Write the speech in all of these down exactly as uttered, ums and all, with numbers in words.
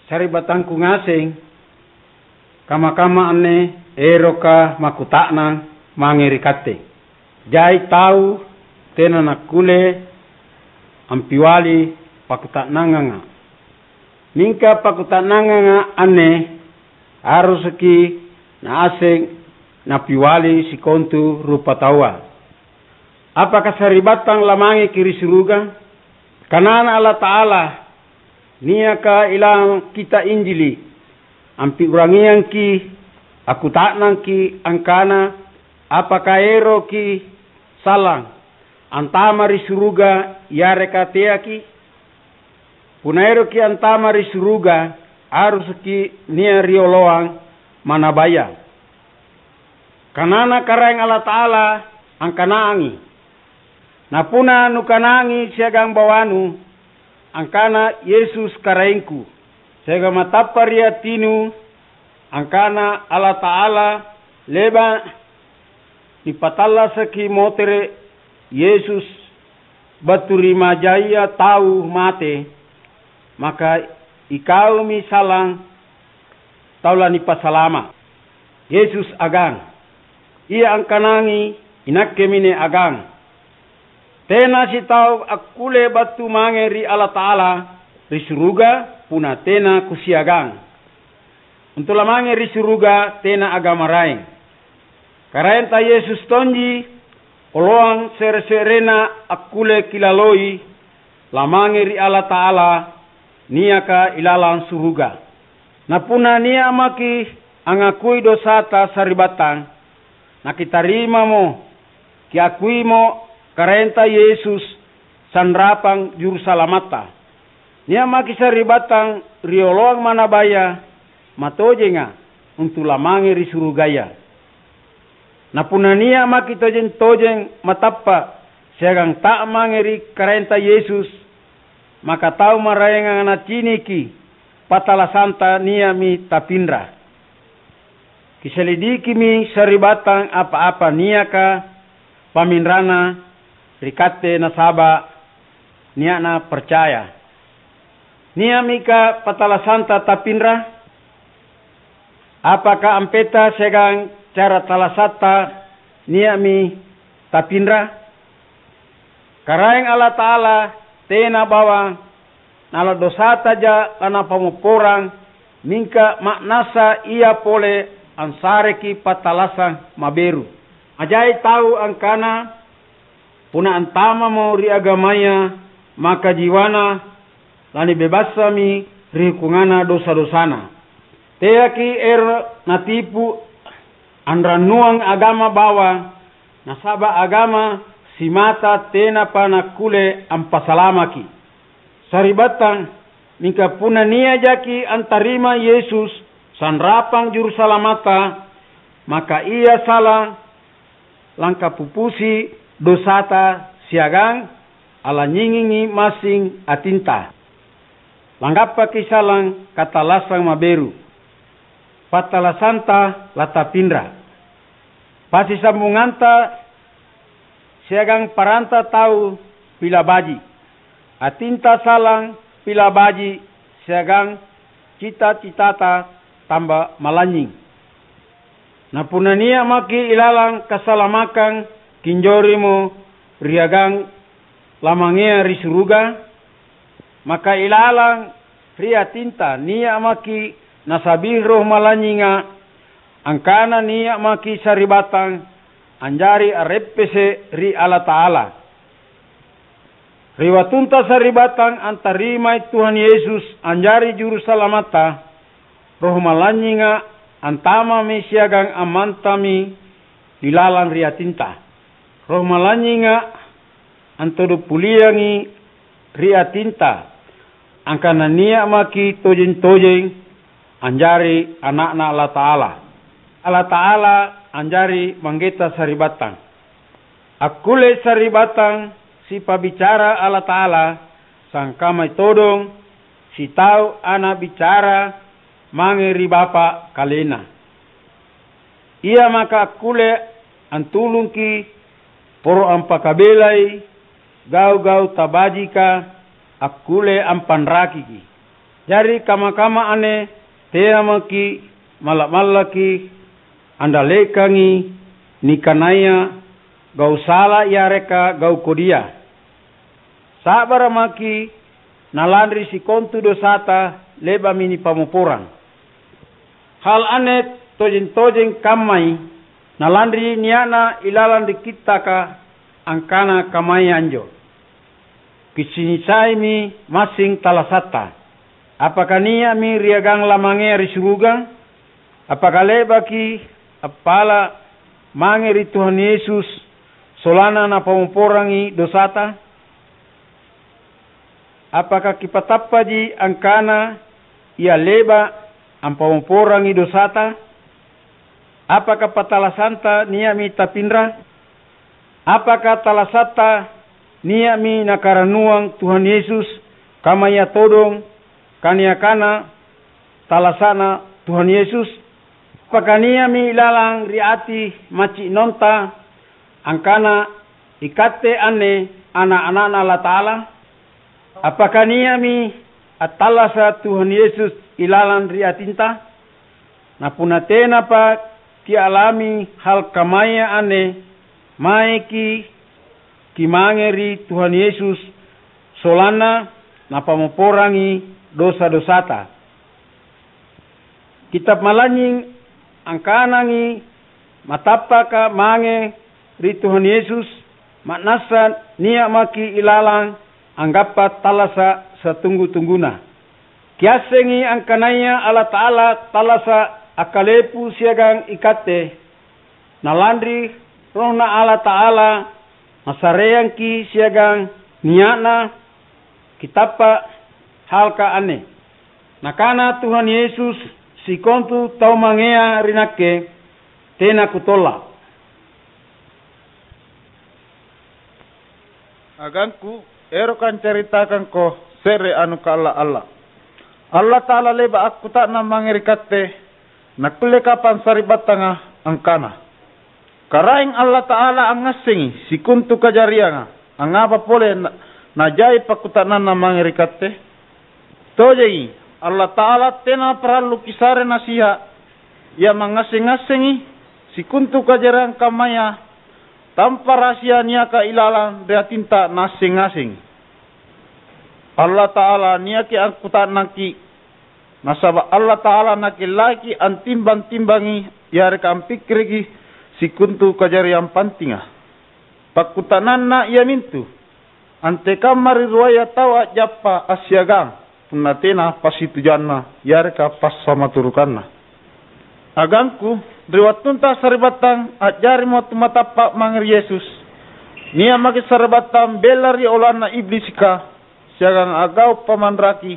Sari'battangku ngaseng, kamma-kamma anne eroka makkuta'nang mange ri katte. Jai tau tena nakkulle ampiwali pakkuta'nanganga. Mingka pakkuta'nanganga anne harusaki naaseng napiwali sikontu rupataua. Apaka sari'battang lamangeki ri suruga? Kanana Allata'ala, niaka ilalang Kitta' Injili, ampiu'rangiangki, akkuta'nangki angkana, apaka eroki sallang antama ri suruga yareka teaki? Punna eroki antama ri suruga, harusuki nia' rioloang manabaya. Kanana Karaeng Allata'ala angkanangi, napunna nukanangi siagang bawanu, angkana, "Yesus Karaengku," siagang matappa ri atinu, angkana, "Allata'ala leba' nipatallasaki motere' Yesus battu ri majaya tau mate, maka ikaumi sallang tau lanipasalama'." Yesus agang, "Ia angkanangi, inakke mine agang. Tena sitau akkulle battu mange ri Allata'ala ri suruga punna tena kusiagang. Untu' lamange ri suruga tena agama maraeng. Karaenta Yesus tonji oloang se're-se'rena akkulle kilaloi lamange ri Allata'ala niaka ilalang suruga. Na punna nia' maki' angngakui dosata sari'battang, nakitarimamo, kiakuimo Karaenta Yesus sanrapang Jurusalamatta. Nia' maki' sari'battang rioloang manabaya matojenga untu' lamange ri surugaya. Na punna nia' maki' tojeng-tojeng matappa' siagang ta'mange ri Karaenta Yesus, maka tau maraenga naciniki pattalasanta nia'mi tapinra. Kiselidikimi sari'battang apa-apa niaka paminranna ri katte nasaba' nia'na parcaya. Nia'mika pattalasanta tapinra? Apaka ampeta siagang cara tallasatta nia'mi tapinra? Karaeng Allata'ala tena bawang nala dosataja lanapammopporang, mingka ma'nassa Ia pole ansareki pattalasang maberu. Ajai tau angkana, punna antamamo ri agamaya, maka jiwana lanibebassami ri hukunganna dosa-dosana. Teaki ero' natipu anrannuang agama bawang, nasaba' agama simata tenapa nakkulle ampasalamaki. Sari'battang, mingka punna nia'jaki antarima Yesus sanrapang Jurusalamatta, maka ia sallang langkapupusi dosata siagang alanynyingingi massing atinta. Langgappaki sallang katallassang maberu. Pattallassanta latapinra. Passisambunganta siagang paranta tau pila baji'. Atinta sallang pila baji' siagang cita-citata tamba malanynying. Na punna nia' maki' ilalang kasalamakang kinjorimo riagang lamangea ri suruga, maka ilalang ri atinta nia' maki' nasa'bi Roh Malanynyinga, angkana nia' maki' sari'battang anjari a'reppese' ri Allata'ala. Ri wattunta sari'battang antarimai Tuhan Yesus anjari Jurusalamatta, Roh Malanynyinga antamami siagang ammantami ilalang ri atinta. Roh Malanynyinga antodong puliangi ri atinta, angkana nia' maki' tojeng-tojeng anjari ana'Na Allata'ala. Allata'ala anjari Manggeta sari'battang. Akkulle sari'battang sipa'bicara Allata'ala, sangkammai todong sitau ana' bicara mange ri Bapa' KalenNa. Ia maka akkulle antulungki poro ampakabelai gau-gau tabajika akkulle ampanrakiki. Jari kamma-kamma anne tena maki' malla'-mallaki andallekangi nikanaya gau' sala yareka gau' kodia. Sa'bara' maki' nalanri sikontu dosata le'ba'mi nipammopporang. Hal anne tojeng-tojeng kammai, nalanri nia'na ilalang ri Kittaka angkana kamaya anjo. Kicinisaimi massing tallasatta. Apaka nia'mi riagang lamangea ri suruga? Apaka le'baki appala' mange ri Tuhan Yesus sollanna Napammopporangi dosata? Apaka kipatappaji angkana Ia le'ba' ampammopporangi dosata? Apaka pattalasanta nia'mi tapinra? Apaka tallasatta nia'mi Nakarannuang Tuhan Yesus, kamaya todong kaniakana tallasa'na Tuhan Yesus? Apaka nia'mi ilalang ri ati maci'nonta angkana ikatte anne ana'-ana'Na Allata'ala? Apaka nia'mi attallasa' Tuhan Yesus ilalang ri atinta? Na punna tenapa kialami hal kamaya anne, maeki kimange ri Tuhan Yesus sollanna Napammopporangi dosa-dosata. Kitab Malanynying angkanangi matappaka mange ri Tuhan Yesus, ma'nassa nia' maki' ilalang anggappa tallasa' satunggu-tungguna. Kiassengi angkanaya Allata'ala tallasa' akkalepu siagang ikatte. Na lanri RohNa Allata'ala, nassareangki' siagang nia'na kitappa' halka' anne. Nakana Tuhan Yesus, "Sikontu tau mangea ri Nakke, tena Kutolla'." Agangku, eroka ancaritakangko se're anu kaalla'-alla'. Allata'ala le'ba' akkuta'nang mange ri katte, nakkulle kapang sari'battanga angkana, "Karaeng Allata'ala angngassengi sikontu kajarianga, angngapa pole na-, najai pakkuta'nanna mange ri katte?" Tojengi, Allata'ala tena parallu kisare nasiha'. Ia mangngasseng-ngassengi sikontu kajariang kammaya tampa rahasia niaka ilalang ri atinta Naasseng-ngasengi. Allata'ala niaki angkuta'nangki', nasaba' Allata'ala Nakellaiki antimbang-timbangi yareka ampikkiriki sikontu kajariang pantinga. Pakkuta'nanna iamintu, antekamma ri ruaya tau a'jappa assiagang, punna tena passitujuanna yareka passamaturukanna. Agangku, ri wattunta sari'battang a'jarimo tumatappa' mange ri Yesus, nia' maki' sari'battang bella ri oloanna Iblisika siagang a'gau' pamanraki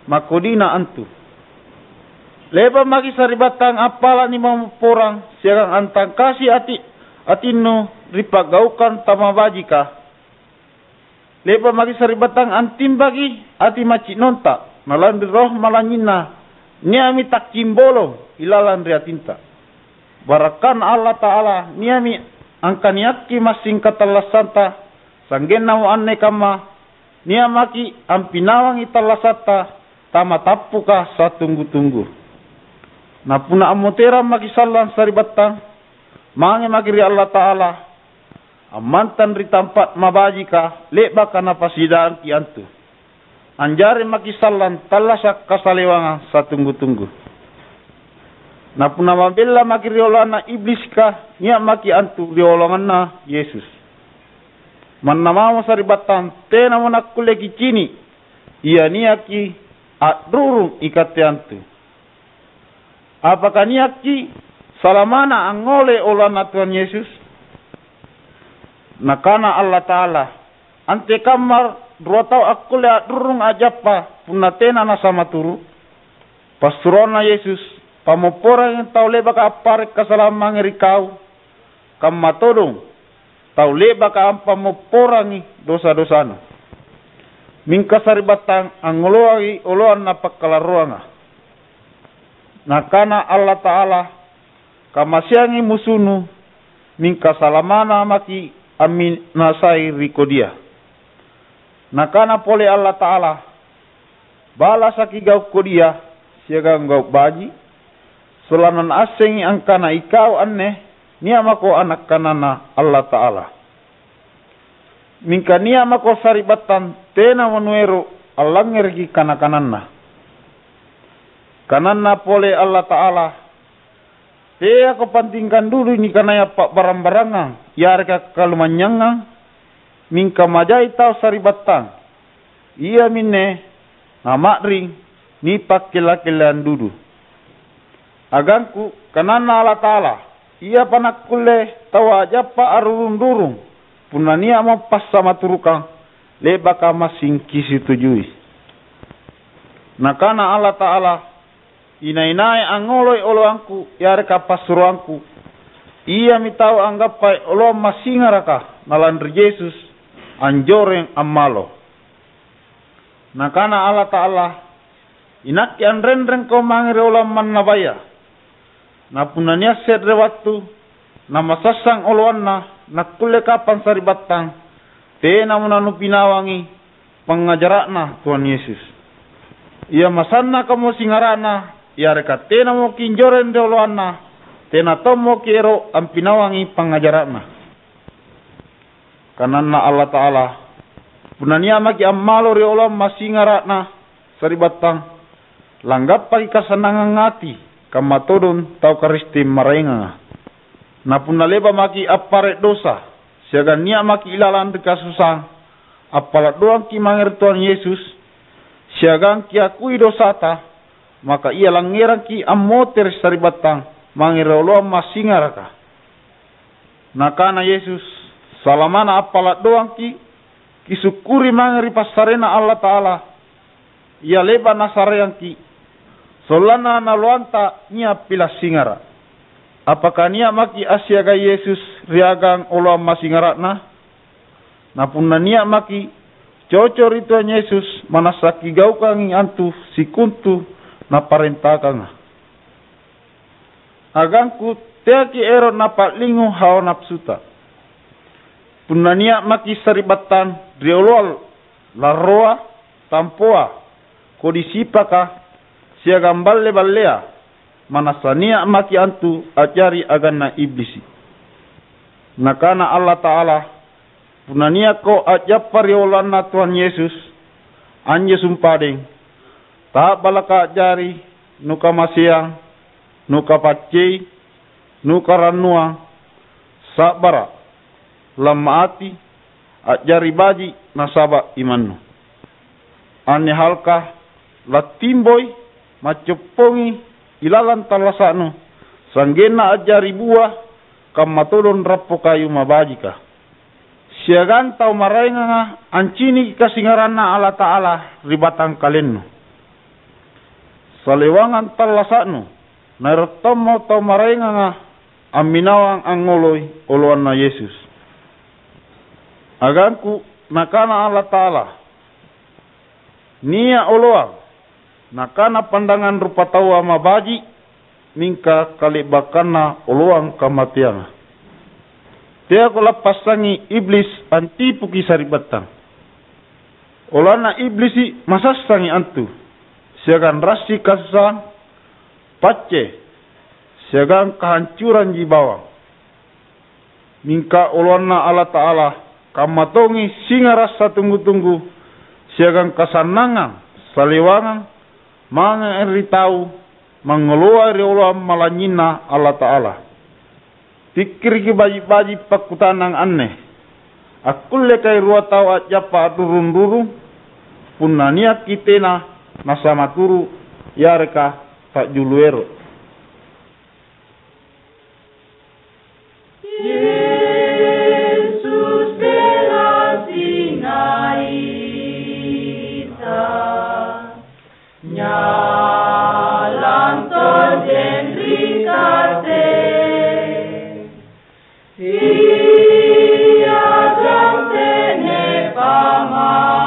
makodina antu. Le'ba' maki' sari'battang appala' nimammopporang siagang antangkasi ati-, atinnu ri pa'gaukang tamabajika. Le'ba' maki' sari'battang antimbaki ati maci'nonta, na lanri Roh Malanynyinna nia'mi takkimbolong ilalang ri atinta. Barakkanna Allata'ala nia'mi angkaniakki massing katallassanta, sanggennamo anne kamma, nia' maki' ampinawangi tallasatta tamatappuka satunggu-tunggu. Na punna ammoterang maki' sallang sari'battang, mange maki' ri Allata'ala, ammantang ri tampa' mabajika le'baka Napasiadangki antu. Anjari maki' sallang tallasa' kasalewangang satunggu-tunggu. Na punna mabella maki' ri oloanna Iblisika, nia' maki' antu ri oloanganna Yesus. Manna mamo sari'battang tenamo nakkulle kicini' ia niaki a'rurung ikatte antu. Apaka niakki' salamana angngoloi oloanna Tuhan Yesus? Nakana Allata'ala, "Antekamma rua tau akkulle a'rurung a'jappa punna tena nasamaturu'?" Passuroanna Yesus, "Pammopporangi tau le'baka appare' kasalang mange ri kau, kamma todong tau le'baka ampammopporangi dosa-dosanu. Mingka sari'battang angngoloangi oloanna pakkalarroanga." Nakana Allata'ala, "Kamasiangi musunu, mingka salamana maki' amminasai ri kodia." Nakana pole Allata'ala, balasaki gau' kodia siagang gau' baji', sollanna naassengi angkana ikau anne nia' mako ana' kananNa Allata'ala. Mingka nia' mako sari'battang tenamo nuero' allangngereki kana-kananna. Kananna pole Allata'ala, "Teako pantingkang dudui nikanaya pa'barang-barangang yareka kalumanynyangang, mingka majai tau sari'battang, iaminne nama'ring nipakkella-kelleang dudu." Agangku, kananNa Allata'ala, iapa nakkulle taua a'jappa a'rurung-rurung, punna nia'mo passamaturukkang le'baka massing kisitujui. Nakana Allata'ala, "Inai-nai angngoloi oloangKu yareka passuroangKu, iami tau anggappai oloang massingaraka nalanri Yesus anjoreng ammalo." Nakana Allata'ala, "INakke anrenrengko mange ri oloang mannabaya. Na punna nia' se're wattu namasassang oloanna nakkulle kapang sari'battang, tenamo nanupinawangi pangngajara'Na Tuhan Yesus. Ia masannakamo singara'Na, yareka tenamo kinjoreng ri oloanNa, tena tommo kiero' ampinawangi pangngajara'Na." Kananna Allata'ala, "Punna nia' maki' ammalo ri oloang massingara'Na sari'battang, langgappaki kasannangang ati, kamma todong tau Karisteng maraenganga. Na punna le'ba' maki' appare' dosa, siagang nia' maki' ilalang ri kasusaang, appala' doangki' mange ri Tuhan Yesus, siagang kiakui dosata, maka ia langngerangki' ammotere' sari'battang mange ri oloang massingaraka." Nakana Yesus, "Salamana appala' doangki', kisukkuri mange ri passareNa Allata'ala, ia le'ba' Nasareangki', sollanna naoloanta nia' pila' singara'. Apaka nia' maki' assiagai Yesus ri agang oloang massingara'Na?" Na punna nia' maki' coco' ri Tuhan Yesus, ma'nassa kigaukangi antu sikontu Naparentakanga. Agangku, teaki' ero' napa'lingu hawa napsuta. Punna nia' maki' sari'battang ri oloang larroa, tampoa, kodi sipaka, siagang balle-ballea, ma'nassa nia' maki' antu a'jari aganna Iblisi'. Nakana Allata'ala, "Punna nia'ko a'jappa ri oloanna Tuhan Yesus, anjo sumpadeng, ta'balaka a'jari nukamaseang, nukapaccei, nukarannuang, sa'bara', lamma ati, a'jari baji' nasaba' imannu. Anne halka lattimboi, maccoppongi ilalang tallasa'nu, sa'genna a'jari bua, kamma todong rappo kayu mabajika. Siagang tau maraenganga anciniki kasingaranNa Allata'ala ri batangkalennu. Salewangang tallasa'nu, naero' tommo tau maraenganga amminawang angngoloi oloanna Yesus." Agangku, Nakana Allata'ala, "Nia' oloang, nakana pandangang rupataua mabaji', mingka kale'bakkanna oloang kamateanga. Teako lappassangi Iblis antipuki sari'battang. Oloanna Iblisi' masassangi antu, siagang rassi kasusaang, pacce, siagang kahancuranji bawang. Mingka oloanna Allata'ala kamma tongi singara' satunggu-tunggu, siagang kasannangang salewangang mange ri tau mangngoloai ri oloang malanynyinNa Allata'ala. Pikkiriki baji'-baji' pakkuta'nang anne: Akkullekai rua tau a'jappa a'rurung-rurung, punna niakki tena nasamaturu' yareka ta'julu ero'?" Yesus, pela singaita, nyalang tojeng ri Kate. Siagang tene pamai,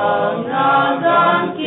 angngagang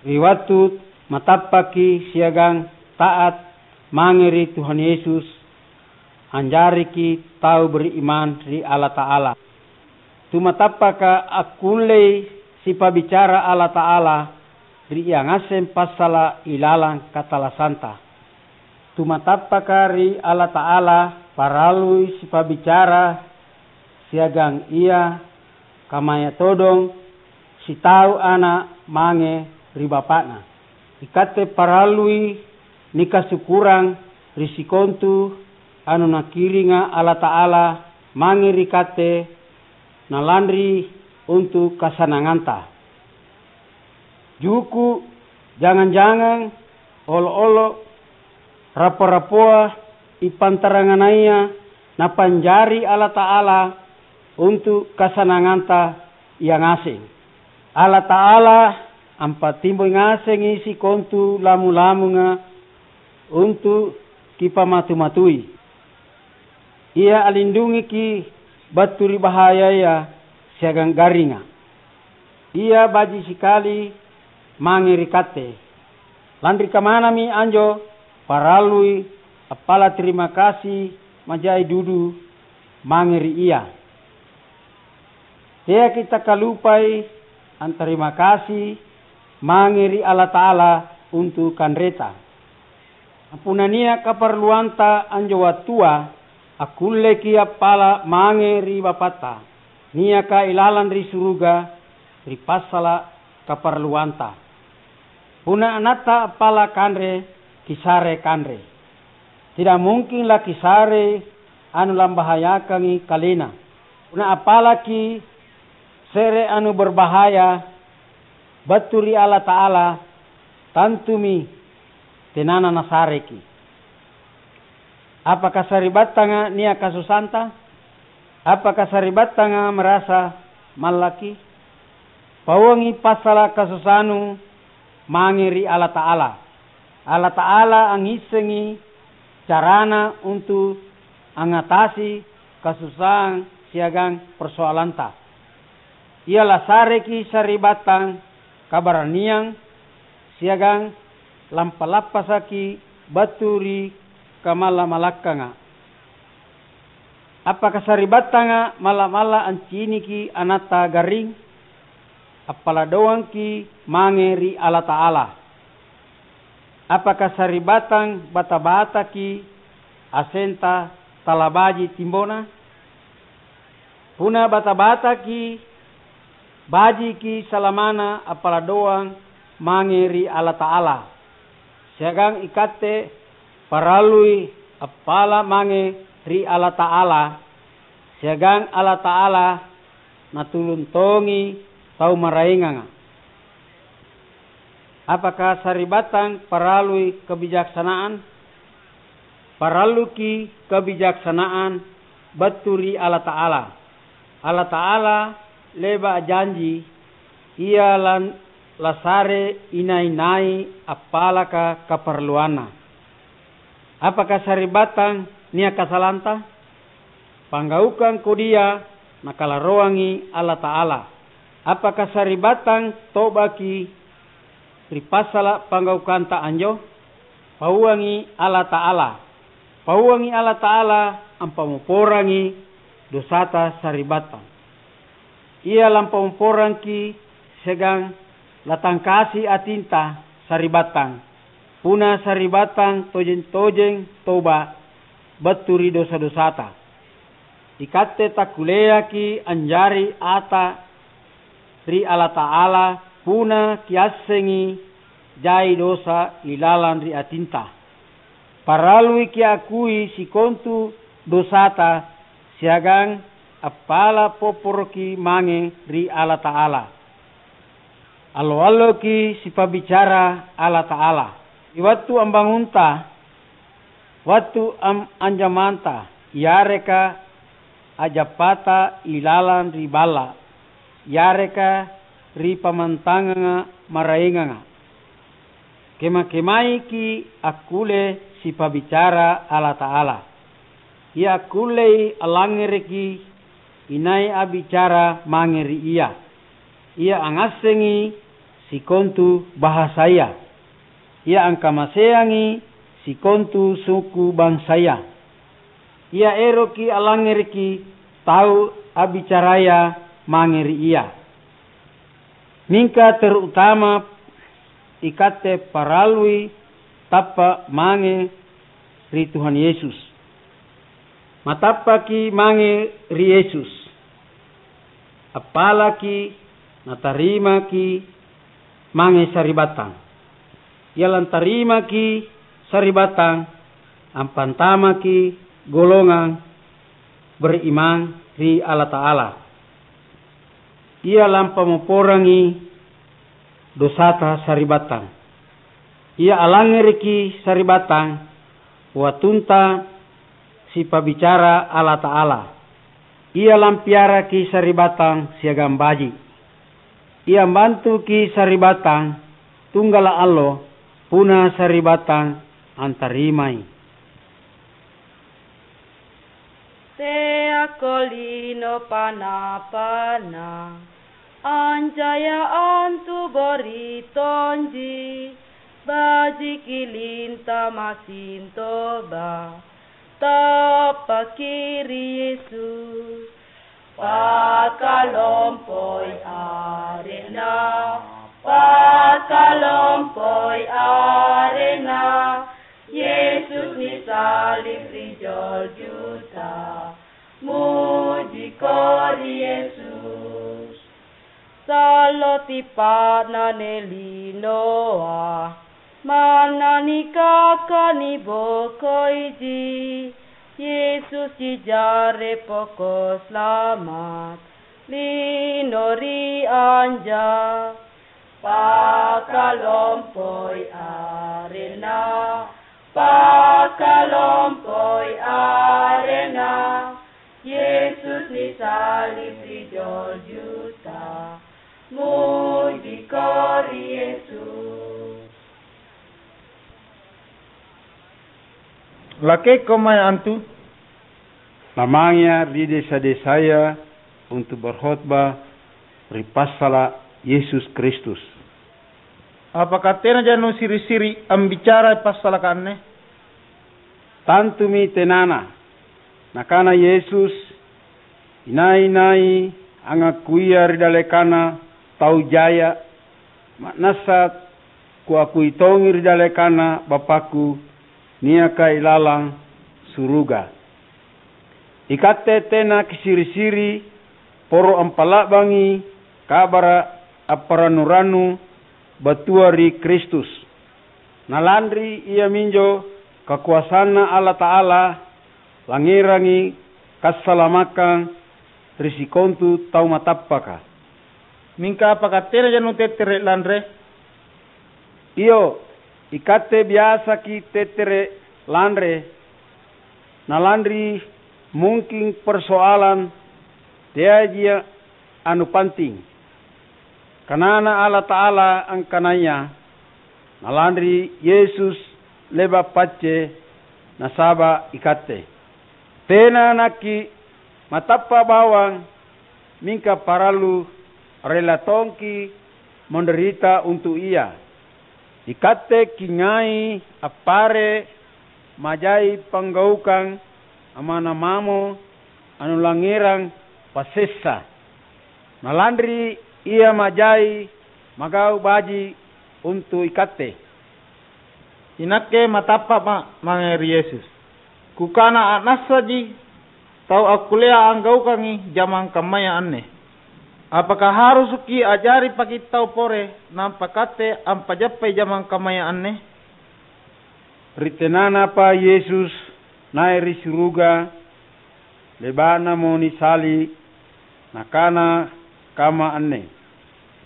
Ri wattu matappaki siagang taat mange ri Tuhan Yesus, anjariki tau beriman ri Allata'ala. Tumatappaka akkullei sipabicara Allata'ala ri ia ngaseng passala' ilalang katallasanta. Tumatappaka ri Allata'ala parallui sipabicara siagang ia kamaya todong sitau ana' mange ri bapa'na. Ikatte parallui nikasukurang ri sikontu anu Nakiringa Allata'ala mange ri katte nalanri untu' kasananganta. Juku', jangang-jangang, olo'-olo', rappo-rappoa, ippantaranganaya Napanjari Allata'ala untu' kasananganta ia ngaseng. Allata'ala ampatimboi ngasengi sikontu lamu-lamunga untu' kipamatu-matui. Ia alindungiki battu ri bahayaya siagang garringa. Ia baji' sikali mange ri katte. Lanri kamanami anjo parallui appala' tarima kasi ma'jai dudu mange ri Ia. Teaki' takkalupai antarima kasi mange ri Allata'ala untu' kanreta. Punna nia' kaparalluanta anjo wattua, akkulleki' appala' mange ri Bapatta, niaka ilalang ri suruga, ri passala' kaparalluanta. Punna anatta appala' kanre, kisare kanre. Tidak mungkin lakisarei anu lambahayakangi kalena. Punna appalaki' se're anu berbahaya battu ri Allata'ala, tantumi tenana nasareki'. Apaka sari'battanga nia' kasusanta? Apaka sari'battanga marasa mallaki? Pauangi passala' kasusanu mange ri Allata'ala. Allata'ala angngissengi carana untu' angngatasi kasusahang siagang persoalanta. Ia lasareki' sari'battang kabaraniang siagang lampa-lappasaki' battu ri kamalla-malakkanga. Appaka sari'battanga malla'-malla' anciniki anatta garring? Appala' doangki' mange ri Allata'ala. Appaka sari'battang bata-bataki' asenta talabaji' timbona? Punna bata-bataki', bajiki salamana appala' doang mange ri Allata'ala. Siagang ikatte parallui appala' mange ri Allata'ala, siagang Allata'ala Natulung tongi tau maraenganga. Apaka sari'battang parallui kabijaksanaan? Paralluki' kabijaksanaan battu ri Allata'ala. Allata'ala le'ba' a'janji Ia lan-, lasare inai-nai appalaka kaparalluanna. Apaka sari'battang nia' kasalanta? Panggaukang kodia Nakalaroangi Allata'ala. Apaka sari'battang to'baki ri passala' panggaukanta anjo? Pauangi Allata'ala. Pauangi Allata'ala ampamopporangi dosata sari'battang. Ia lampamopporangki' siagang latangkasi atinta sari'battang, punna sari'battang tojeng-tojeng toba' battu ri dosa-dosata. Ikatte takkulleaki' anjari ata ri Allata'ala punna kiassengi jai dosa ilalang ri atinta. Parallui kiakui sikontu dosata siagang appala' popporoki' mange ri Allata'ala. Allo-alloki' sipa'bicara Allata'ala. Ri wattu ambangunta, wattu am-, anjamanta, yareka a'jappata ilalang ri balla', yareka ri pammantanganga maraenganga. Kema-kemaiki' akkulle sipa'bicara Allata'ala. Ia akkullei allangngereki inai a'bicara mange ri Ia. Ia angngassengi sikontu bahasaya, ia angkamaseangi sikontu suku bansaya, ia eroki allangngereki tau a'bicaraya mange ri ia. Mingka terutama ikatte parallui tappa' mange ri Tuhan Yesus. Matappaki mange ri Yesus. Appalaki natarimaki mange sari'battang. Ia lantarimaki sari'battang ampantamaki golongang berimang ri Allata'ala. Ia lampamopporangi dosata sari'battang. Ia allangngereki sari'battang wattunta sipa'bicara Allata'ala. Ia lampiaraki sari'battang siagang baji'. Ia mbantuki sari'battang tunggala' allo punna sari'battang antarimai. Teako lino pana-pana, ancaya antu gori tonji, bajiki linta masintoba, tappaki ri Yesus. Pakalompoi arenna, pakalompoi arenna, Yesus nisalib ri joljuta, mujiko ri Yesus. Sallo tipa'na nelinoa, manna nikaka nibokoiji, Yesusji jarre poko' slamat, lino ri anja. Pakalompoi arenna, pakalompoi arenna, Yesus nisalib ri joljuta, mujiko ri Yesus. Lakeko mae antu? Namangea ri desa-desaya untu' berkhotba ri passala' Yesus Kristus. Apakah tenaja nusiri'-siri' ambicarai passalaka anne? Tantumi tenana. Nakana Yesus, "Inai-nai angakkuia ri dallekanna tau jaya, ma'nassa Kuakui tongi ri dallekanna Bapakku niaka ilalang suruga. Ikatte tena kisiri'-siri', poro ampa'la'bangi kabara' apparannu-rannu battua ri Kristus. Na lanri iaminjo kakoasanNa Allata'ala, langngerangi kassalamakang ri sikontu tau matappaka." Mingka apaka tenaja nutettere' lanre? Iyo, ikatte biasaki tettere' lanre, na lanri mungking persoalang teaija anu panting. Kanana Allata'ala angkanaya, "Na lanri Yesus le'ba' pacce nasaba' ikatte." Tena nakki' matappa' bawang, mingka parallu rella tongki' mandarita untu' Ia. Ikatte kingai appare' majai panggaukang amma'na mamo anulangngerang passessa. Na lanri Ia majai magau' baji' untu' ikatte. Inakke matappa'ma' mange ri Yesus. Kukana a'nassaji tau akkullea anggaukangi jamang kammaya anne. Apaka harusukki a'jari pakitau pore nampa katte ampajappai jamang kammaya anne? Ri tenanapa Yesus nai' ri suruga, le'ba'namo nisali', Nakana kamma anne,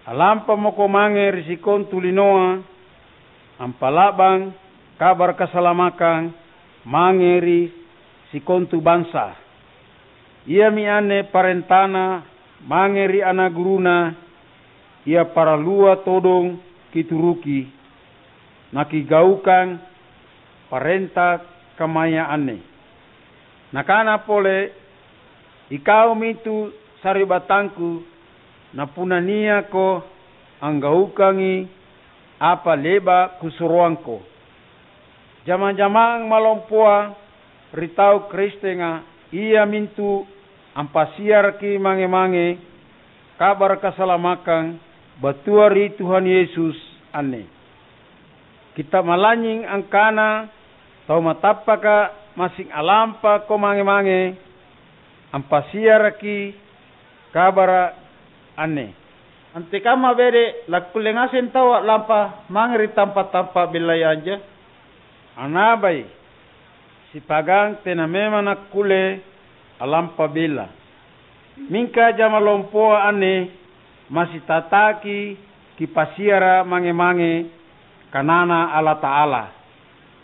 "Alampamako mange ri sikontu linoa, ampa'la'bang kabara' kasalamakang mange ri sikontu bansa." Iami anne parentaNa mange ri ana' gurunNa, "Ia parallua todong kituruki, nakigaukang parenta kammaya anne." Nakana pole, "Ikau mintu sari'battangku, na punna niako anggaukangi apa le'ba' kusuroangko. Jamang-jamang malompoa ri tau Kristenga, iamintu ampasiaraki mange-mange kabara' kasalamakang battua ri Tuhan Yesus anne. Kitta' malanynying angkana tau matappaka massing alampako mange-mange ampasiaraki kabara' anne. Antekamma bede' lakkulle ngaseng tau a'lampa mange ri tampa'-tampa' bellaya anjo? Anabai, sipagang tena memang nakkulle a'lampa bella. Mingka jama lompoa anne masitataki kipasiara' mange-mange kanana Allata'ala.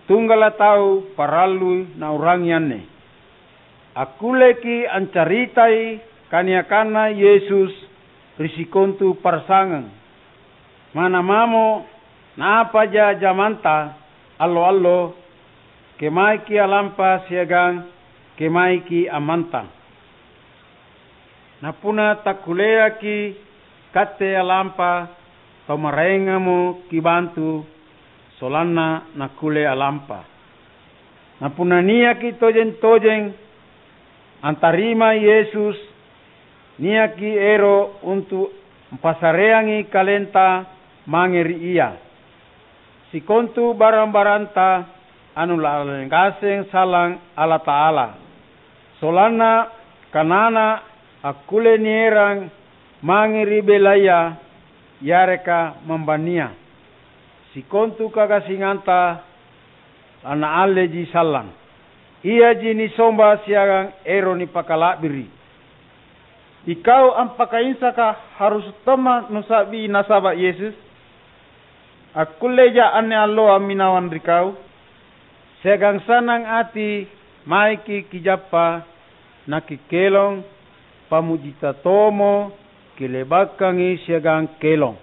Tunggala' tau parallui nau'rangi anne. Akkulleki' ancaritai kaniakanNa Yesus ri sikontu pa'rasangang. Mana mamo naapaja jamanta allo-allo, kemaiki' alampa siagang kemaiki' ammantang. Napunna takkulleaki' katte alampa, tau maraengamo kibantu sollanna nakkulle alampa. Napunna niaki' tojeng-tojeng antarimai Yesus, niaki' ero' untu' ampasareangi kalenta mange ri Ia. Sikontu barang-baranta anu la'bi ngaseng sallang Allata'ala, sollanna kanana akkulle nierang mange ri bellaya yareka mambania. Sikontu kagasinganta lanaalleji sallang. Iaji nisomba siagang ero' nipakala'biri'. Ikau ampakainsaka harus tomma nusa'bi nasaba' Yesus? Akkulleja anne alloa amminawang ri kau? Siagang sannang ati maiki' kijappa, nakikelong, pammujita tomo kile'bakangi siagang kelong.